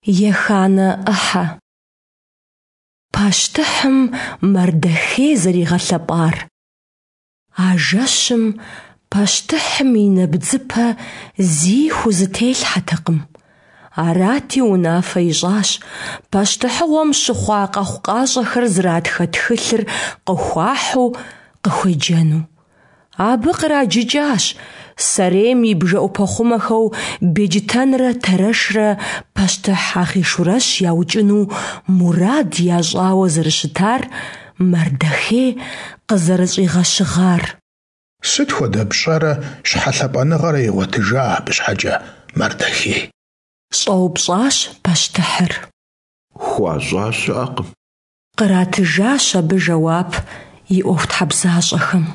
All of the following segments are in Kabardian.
Еханэ ӏыхьэ. Пащтыхьым Мардэхей зэригъэлъэпӏар. А жэщым пащтыхьым и нэбдзыпэ зи хузэтелъхьэтэкъым. Арати, унафэ ищӏащ пащтыхьыгъуэм щыхъуа къэхъукъащӏэхэр зратхэ тхылъыр къыхуахьу къыхуеджэну. Абы къраджыкӏащ сэрейм и бжэӏупэхъумэхэу Беджтэнрэ Тэрэшрэ пащтыхь Ахъийшурэщ яукӏыну мурад ящӏауэ зэрыщытар Мардэхей къызэрыщӏигъэщыгъар. Сыт хуэдэ пщӏэрэ щхьэ лъапӏэныгъэрэ игъуэтыжа абы щхьэкӏэ Мардэхей? Щӏэупщӏащ пащтыхьыр. Хуащӏа щыӏэкъым. Къратыжащ абы жэуап и ӏуэхутхьэбзащӏэхэм.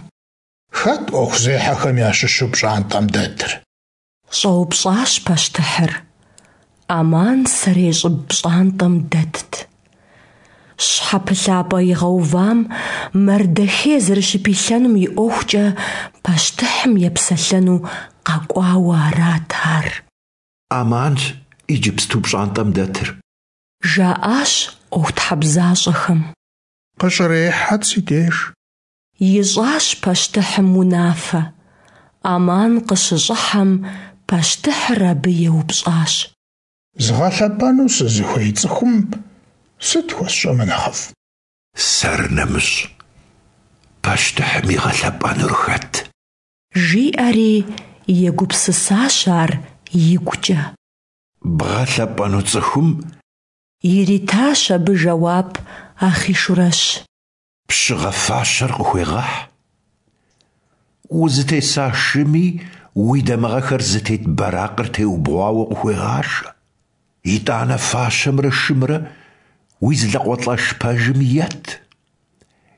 Хэт ӏуэхузехьэхэм ящыщу пщӏантӏэм дэтыр? Щӏэупщӏащ пащтыхьыр. Аман сэрей щӏыб пщӏантӏэм дэтт. Щхьэпылъапӏэ игъэувам Мардэхей зэрыщыпилъэнум и ӏуэхукӏэ пащтыхьым епсэлъэну къэкӏуауэ арат ар. Аманщ иджыпсту пщӏантӏэм дэтыр. Жаӏащ ӏуэхутхьэбзащӏэхэм. Къыщӏрехьэт си деж. Ищӏащ пащтыхьым унафэ. Аман къыщыщӏыхьэм, пащтыхьыр абы еупщӏащ. Згъэлъэпӏэну сызыхуей цӏыхум сыт хуэсщӏэмэ нэхъыфӏ? Сэр нэмыщӏ, пащтыхьым игъэлъэпӏэнур хэт? Жиӏэри егупсысащ ар игукӏэ. Бгъэлъэпӏэну цӏыхум. Иритащ абы жэуап Ахъийшурэщ. Пщыгъэ фащэр къыхуегъэхь. Узытеса шыми уи дамыгъэхэр зытет бэракъыр теубгъуауэ къыхуегъашэ. Итӏанэ фащэмрэ шымрэ уи зы лӏакъуэлӏэш пэжым ет.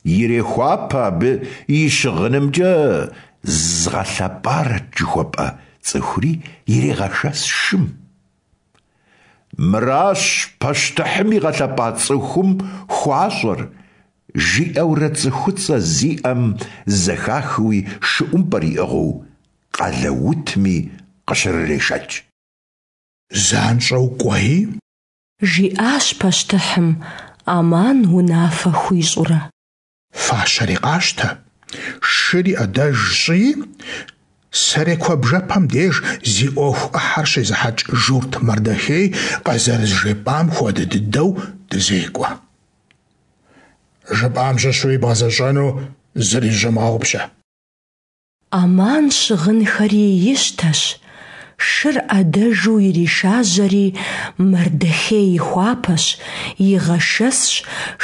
Ирехуапэ абы и щыгъынымкӏэ згъэлъэпӏарэт жыхуэпӏэ цӏыхури ирегъэшэс шым. Мыращ пащтыхьым игъэлъэпӏа цӏыхум хуащӏэр, жиӏэурэ цӏыхуцӏэ зиӏэм зэхахыуи шы ӏумпӏэр иӏыгъыу къалэ утми къыщрырешэкӏ. Занщӏэу кӏуэи. Жиӏащ пащтыхьым, Аман унафэ хуищӏурэ. Фащэри къащтэ, шыри ӏэдэж щӏыи, сэрей куэбжэпэм деж зи ӏуэху ӏыхьэр щезыхьэкӏ журт Мардэхей къызэрызжепӏам хуэдэ дыдэу дызекӏуэ. Жыпӏам щыщуи бгъэзэщӏэну зыри зыщомыгъэгъупщэ. Аман щыгъынхэри ищтэщ, шыр ӏэдэжу иришажьэри, Мардэхей ихуапэщ, игъэшэсщ,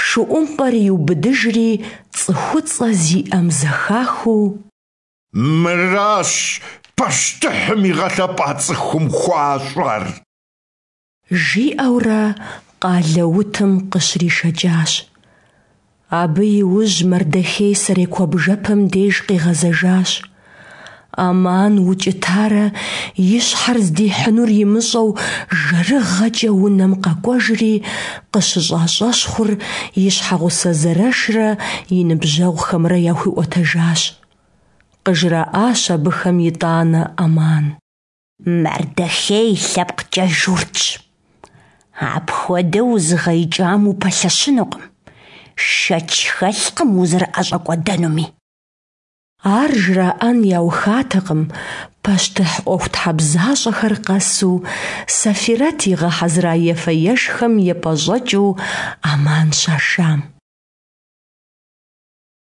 шы ӏумпӏэр иубыдыжри, цӏыхуцӏэ зиӏэм зэхахыу. Мыращ пащтыхьым игъэлъэпӏа цӏыхум хуащӏэр! Жиӏэурэ къалэ утым къыщришэкӏащ. Абы и ужь Мардэхей сэрей куэбжэпэм деж къигъэзэжащ. Аман укӏытарэ и щхьэр здихьынур имыщӏэу жэрыгъэкӏэ унэм къэкӏуэжри, къыщыщӏа щӏэщхъур и щхьэгъусэ Зэрэшрэ и ныбжьэгъухэмрэ яхуиӏуэтэжащ. Къыжраӏащ абыхэм итӏанэ Аман. Мардэхей лъэпкъкӏэ журтщ. Апхуэдэу узыгъэикӏам упэлъэщынукъым, шэч хэлъкъым узэрыӏэщӏэкӏуэдэнуми. Ар жраӏэн яухатэкъым пащтыхь ӏуэхутхьэбзащӏэхэр къэсу, Сэфирэт игъэхьэзыра ефэ-ешхэм епӏэщӏэкӏыу Аман щашам.